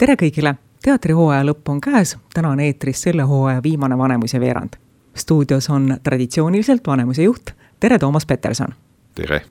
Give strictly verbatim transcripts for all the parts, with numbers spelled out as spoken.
Tere kõigile! Teatrihooaja lõpp on käes, täna on eetris selle hooaja viimane Vanemuise veerand. Stuudios on traditsiooniliselt Vanemuise juht. Tere, Toomas Peterson! Tere!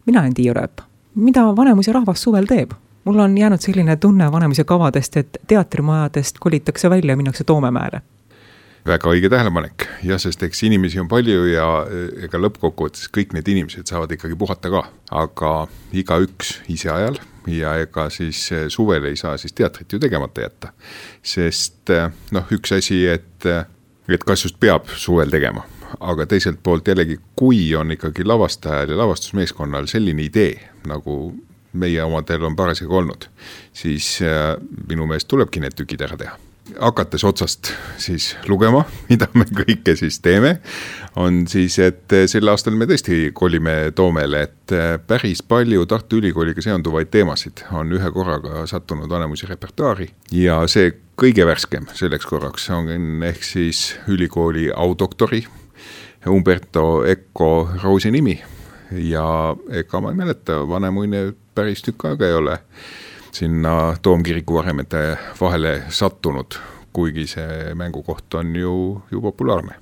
Mina olen Tiiu Rööp. Mida Vanemuise rahvas suvel teeb? Mul on jäänud selline tunne Vanemuise kavadest, et teatrimajadest kolitakse välja ja minnakse Toomemäele. Väga õige tähelepanek. Ja sest eks inimesi on palju ja ega lõppkokkuvõttes kõik need inimesed saavad ikkagi puhata ka. Aga iga üks ise ajal ja ega siis suvel ei saa siis teatrit ju tegemata jätta. Sest noh, üks asi, et, et kas just peab suvel tegema. Aga teiselt poolt jällegi, kui on ikkagi lavastajal ja lavastusmeeskonnal selline idee, nagu meie omadel on parasjagu olnud, siis minu meelest tulebki need tükid ära teha. Hakates otsast siis lugema, mida me kõike siis teeme, on siis, et sel aastal me tõesti kolime Toomele, et päris palju Tartu Ülikooliga seonduvaid teemasid on ühe korraga sattunud Vanemuise repertuaari ja see kõige värskem selleks korraks on ehk siis ülikooli audoktori Umberto Eco Roosi nimi ja ega ma ei mäleta, Vanemuine päris tükk aega ei ole sinna Toomkiriku varemete vahele sattunud, kuigi see mängukoht on ju, ju populaarne.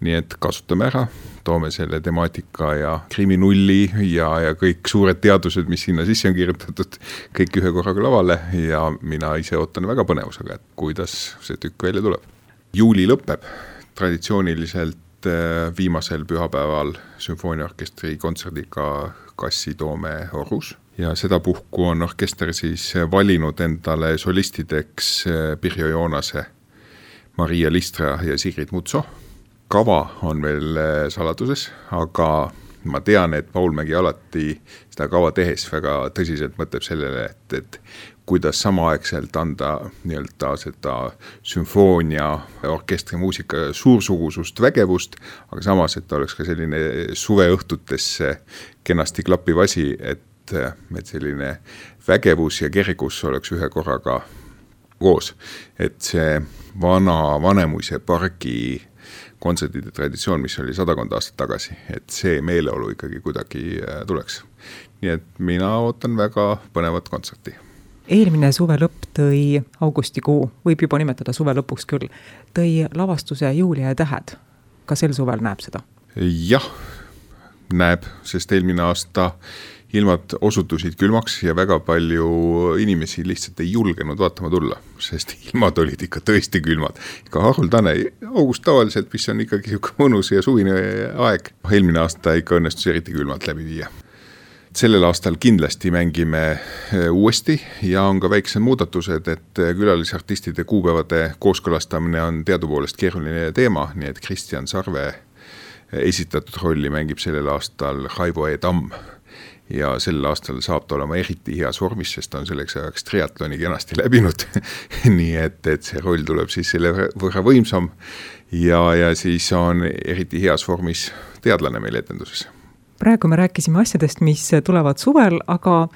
Nii et kasutame ära, toome selle temaatika ja kriminulli ja, ja kõik suured teadused, mis sinna sisse on kirjutatud, kõik ühe korraga lavale ja mina ise ootan väga põnevusega, et kuidas see tükk välja tuleb. Juuli lõpeb traditsiooniliselt viimasel pühapäeval sümfooniaorkestri kontserdiga Kassi Toome Orus. Ja seda puhku on orkester siis valinud endale solistideks Pirjo Joonase, Maria Listra ja Sigrid Mutso. Kava on veel saladuses, aga ma tean, et Paul Mägi alati seda kava tehes väga tõsiselt mõtleb sellele, et, et kuidas samaaegselt anda nii-öelda seda sümfoonia orkestri muusika suursugusust vägevust, aga samas, et oleks ka selline suveõhtutesse kenasti klappiv asi, et et selline vägevus ja kergus oleks ühe korraga koos. Et see vana Vanemuise pargi kontsertide traditsioon, mis oli sadakond aastat tagasi, et see meeleolu ikkagi kuidagi tuleks. Nii et mina ootan väga põnevat kontserti. Eelmine suve lõpp tõi augustikuu, võib juba nimetada suve lõpuks küll, tõi lavastuse Julia ja tähed. Ka sel suvel näeb seda? Jah, näeb, sest eelmine aasta ilmad osutusid külmaks ja väga palju inimesi lihtsalt ei julgenud vaatama tulla, sest ilmad olid ikka tõesti külmad. Ikka haruldane, august tavaliselt, mis on ikkagi mõnus ja suvine aeg. Eelmine aasta ikka õnnestus eriti külmalt läbi viia. Sellel aastal kindlasti mängime uuesti ja on ka väiksed muudatused, et külalisartistide kuupäevade kooskõlastamine on teadupoolest keeruline teema, nii et Kristjan Sarve esitatud rolli mängib sellel aastal Raivo E. Tamm. Ja sel aastal saab ta olema eriti heas vormis, sest on selleks ajaks triatloni kenasti läbinud. Nii et, et see roll tuleb siis selle võrra võimsam ja, ja siis on eriti heas vormis teadlane meil etenduses. Praegu me rääkisime asjadest, mis tulevad suvel, aga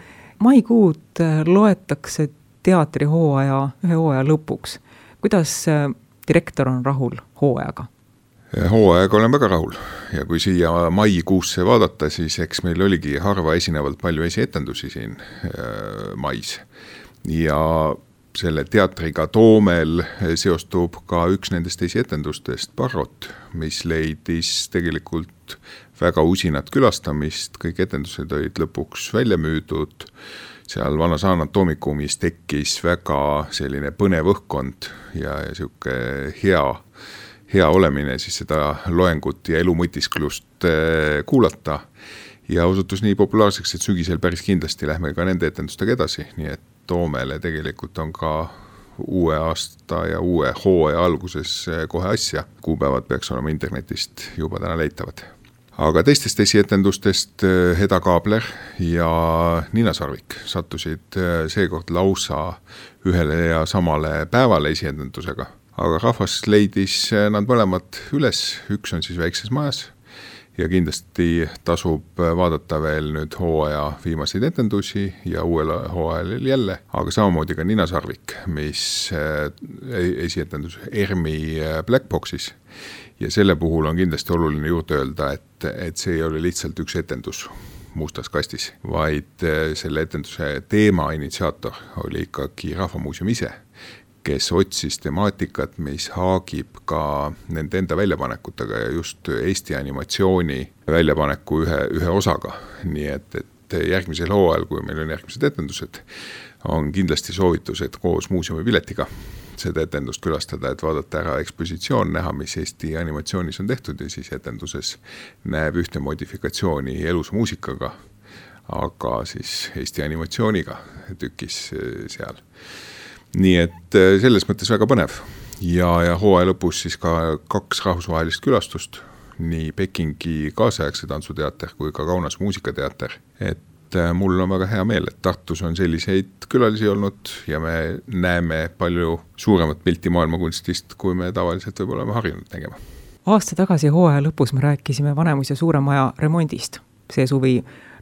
maikuud loetakse teatrihooaja ühe hooaja lõpuks. Kuidas direktor on rahul hooajaga? Hooajaga olen väga rahul ja kui siia maikuusse vaadata, siis eks meil oligi harva esinevalt palju esietendusi siin mais. Ja selle teatriga Toomel seostub ka üks nendest esietendustest Barrot, mis leidis tegelikult väga usinat külastamist, kõik etendused olid lõpuks välja müüdud. Seal vanas anatoomikumis tekkis väga selline põnev õhkkond ja, ja siuke hea hea olemine siis seda loengut ja elumõtisklust kuulata ja osutus nii populaarseks, et sügisel päris kindlasti lähme ka nende etendustega edasi, nii et Toomele tegelikult on ka uue aasta ja uue hooaja alguses kohe asja. Kuupäevad peaks olema internetist juba täna leitavad. Aga teistest esietendustest Heda Kaabler ja Nina Sarvik sattusid seekord lausa ühele ja samale päevale esietendusega. Aga rahvas leidis nad mõlemad üles, üks on siis väikses majas ja kindlasti tasub vaadata veel nüüd hooaja viimaseid etendusi ja uuel hooajal jälle, aga samamoodi ka Nina Sarvik, mis esietendus Ermi Black Boxis ja selle puhul on kindlasti oluline juurde öelda, et, et see ei ole lihtsalt üks etendus. mustas kastis, vaid selle etenduse teema initsiaator oli ikkagi Rahvamuuseum ise, kes otsis temaatikat, mis haagib ka nende enda väljapanekutega ja just Eesti animatsiooni väljapaneku ühe, ühe osaga. Nii et, et järgmisel hooajal, kui meil on järgmised etendused, on kindlasti soovitus, et koos muuseumi piletiga seda etendust külastada, et vaadata ära ekspositsioon, näha, mis Eesti animatsioonis on tehtud ja siis etenduses näeb ühte modifikatsiooni elusa muusikaga, aga siis Eesti animatsiooniga tükis seal. Nii et selles mõttes väga põnev ja, ja hooaja lõpus siis ka kaks rahvusvahelist külastust, nii Pekingi kaasaegse tantsuteater kui ka Kaunas muusikateater, et mul on väga hea meel, et Tartus on selliseid külalisi olnud ja me näeme palju suuremat pilti maailmakunstist, kui me tavaliselt võib olema harjunud nägema. Aasta tagasi hooaja lõpus me rääkisime Vanemuise suure maja remondist. See suvi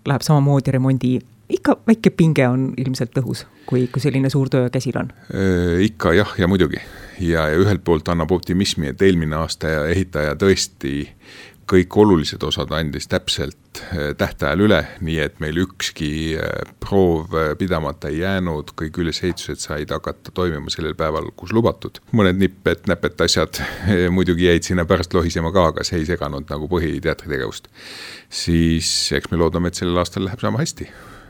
läheb samamoodi remondi. Ikka väike pinge on ilmselt õhus, kui, kui selline suur töö käsil on? Ikka jah ja muidugi. Ja, ja ühelt poolt annab optimismi, et eelmine aasta ehitaja tõesti kõik olulised osad andis täpselt tähtajal üle, nii et meil ükski proov pidamata ei jäänud, kõik ülesehitused said hakata toimima sellel päeval, kus lubatud. Mõned nipped, näpet asjad muidugi jäid sinna pärast lohisema ka, aga see ei seganud nagu põhiteatritegevust. Siis eks me loodame, et sellel aastal läheb sama hästi,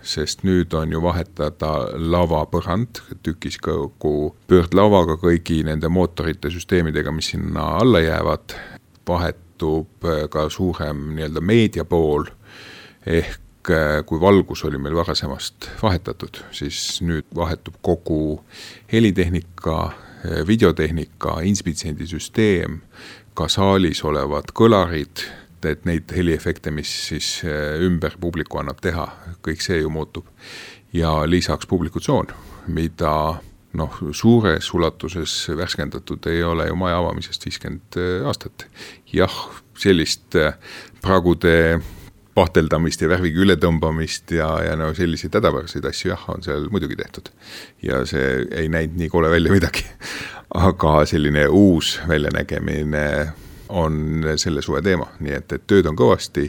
sest nüüd on ju vahetada lavapõrand, tükis kogu pöördlavaga kõigi nende mootorite süsteemidega, mis sinna alla jäävad, vahet ka suurem nii-öelda meedia pool, ehk kui valgus oli meil varasemast vahetatud, siis nüüd vahetub kogu helitehnika, videotehnika, inspitsendisüsteem, ka saalis olevad kõlarid, et neid heliefekte, mis siis ümber publiku annab teha, kõik see ju muutub. Ja lisaks publikutsoon, mida noh, suures ulatuses värskendatud ei ole ju maja avamisest viiskümmend aastat. Jah, sellist pragude pahteldamist ja värviga ületõmbamist ja, ja no selliseid hädapäraseid asju jah, on seal muidugi tehtud. Ja see ei näinud nii kole välja midagi. Aga selline uus väljanägemine on selle suve teema, nii et, et tööd on kõvasti,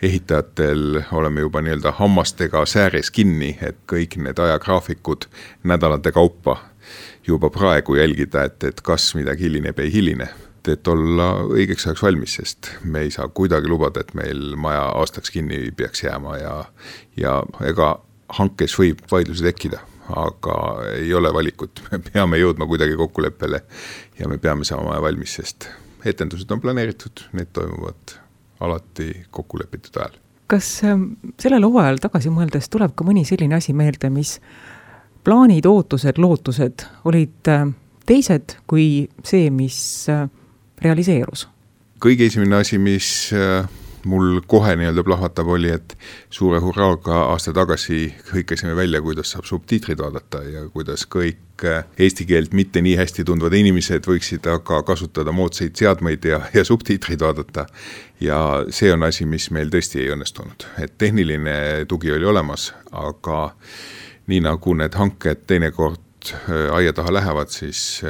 ehitajatel oleme juba nii-öelda hammastega sääres kinni, et kõik need ajagraafikud nädalate kaupa juba praegu jälgida, et, et kas midagi hilineb ei hiline, et olla õigeks ajaks valmis, sest me ei saa kuidagi lubada, et meil maja aastaks kinni peaks jääma ja, ja ega hankes võib vaidlusi tekkida, aga ei ole valikut, me peame jõudma kuidagi kokkuleppele ja me peame saama maja valmis, sest etendused on planeeritud, need toimuvad alati kokkulepitud ajal. Kas sellel hooajal tagasi mõeldes tuleb ka mõni selline asi meelde, mis plaanid, ootused, lootused olid teised kui see, mis realiseerus? Kõige esimene asi, mis mul kohe nii-öelda plahvatab oli, et suure hurraaga aasta tagasi hõikasime välja, kuidas saab subtiitrid vaadata ja kuidas kõik eesti keelt mitte nii hästi tundvad inimesed võiksid aga kasutada moodsaid seadmeid ja, ja subtiitrid vaadata. Ja see on asi, mis meil tõesti ei õnnestunud. Et tehniline tugi oli olemas, aga nii nagu need hanked teinekord aia taha lähevad, siis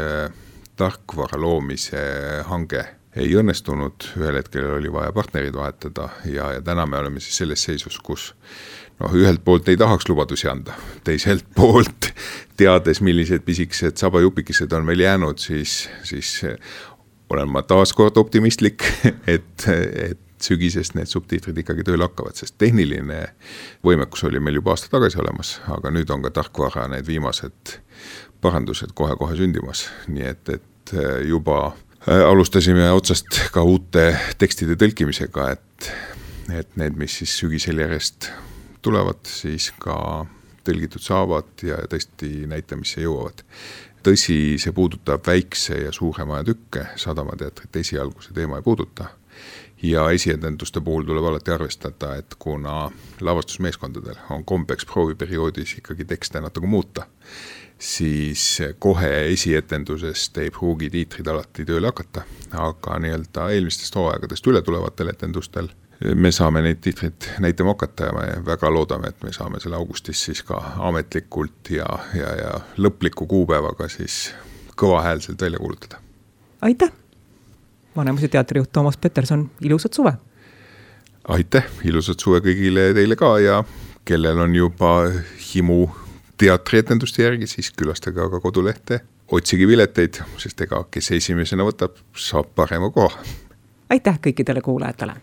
tarkvara loomise hange ei õnnestunud, ühel hetkel oli vaja partnerid vahetada ja, ja täna me oleme siis selles seisus, kus noh, ühelt poolt ei tahaks lubadusi anda, teiselt poolt teades, millised pisikesed sabajupikesed on meil jäänud, siis, siis olen ma taas kord optimistlik, et, et sügisest need subtiitrid ikkagi tööle hakkavad, sest tehniline võimekus oli meil juba aasta tagasi olemas, aga nüüd on ka tarkvara need viimased parandused kohe-kohe sündimas, nii et, et juba alustasime otsast ka uute tekstide tõlkimisega, et, et need, mis siis sügisel järjest tulevad, siis ka tõlgitud saavad ja tõesti näitamisse jõuavad. Tõsi, see puudutab väikse ja suuremaja tükke, Sadamateatrit esialgu see teema ei puuduta. Ja esietenduste puhul tuleb alati arvestada, et kuna lavastusmeeskondadel on kombeks prooviperioodis ikkagi tekste natuke muuta, siis kohe esietendusest ei pruugi tiitrid alati tööle hakata, aga nii-öelda eelmistest hooaegadest üle tulevatel etendustel me saame neid tiitrid näitama hakata ja me väga loodame, et me saame selle augustis siis ka ametlikult ja, ja, ja lõpliku kuupäevaga siis kõvahäälselt välja kuulutada. Aitäh! Vanemuise teatrijuht Toomas Peterson, ilusat suve! aitäh, ilusat suve kõigile teile ka ja kellel on juba himu teatrietenduste järgi, siis külastage aga kodulehte, otsige pileteid, sest ega kes esimesena võtab, saab parema koha. aitäh kõikidele kuulajatele!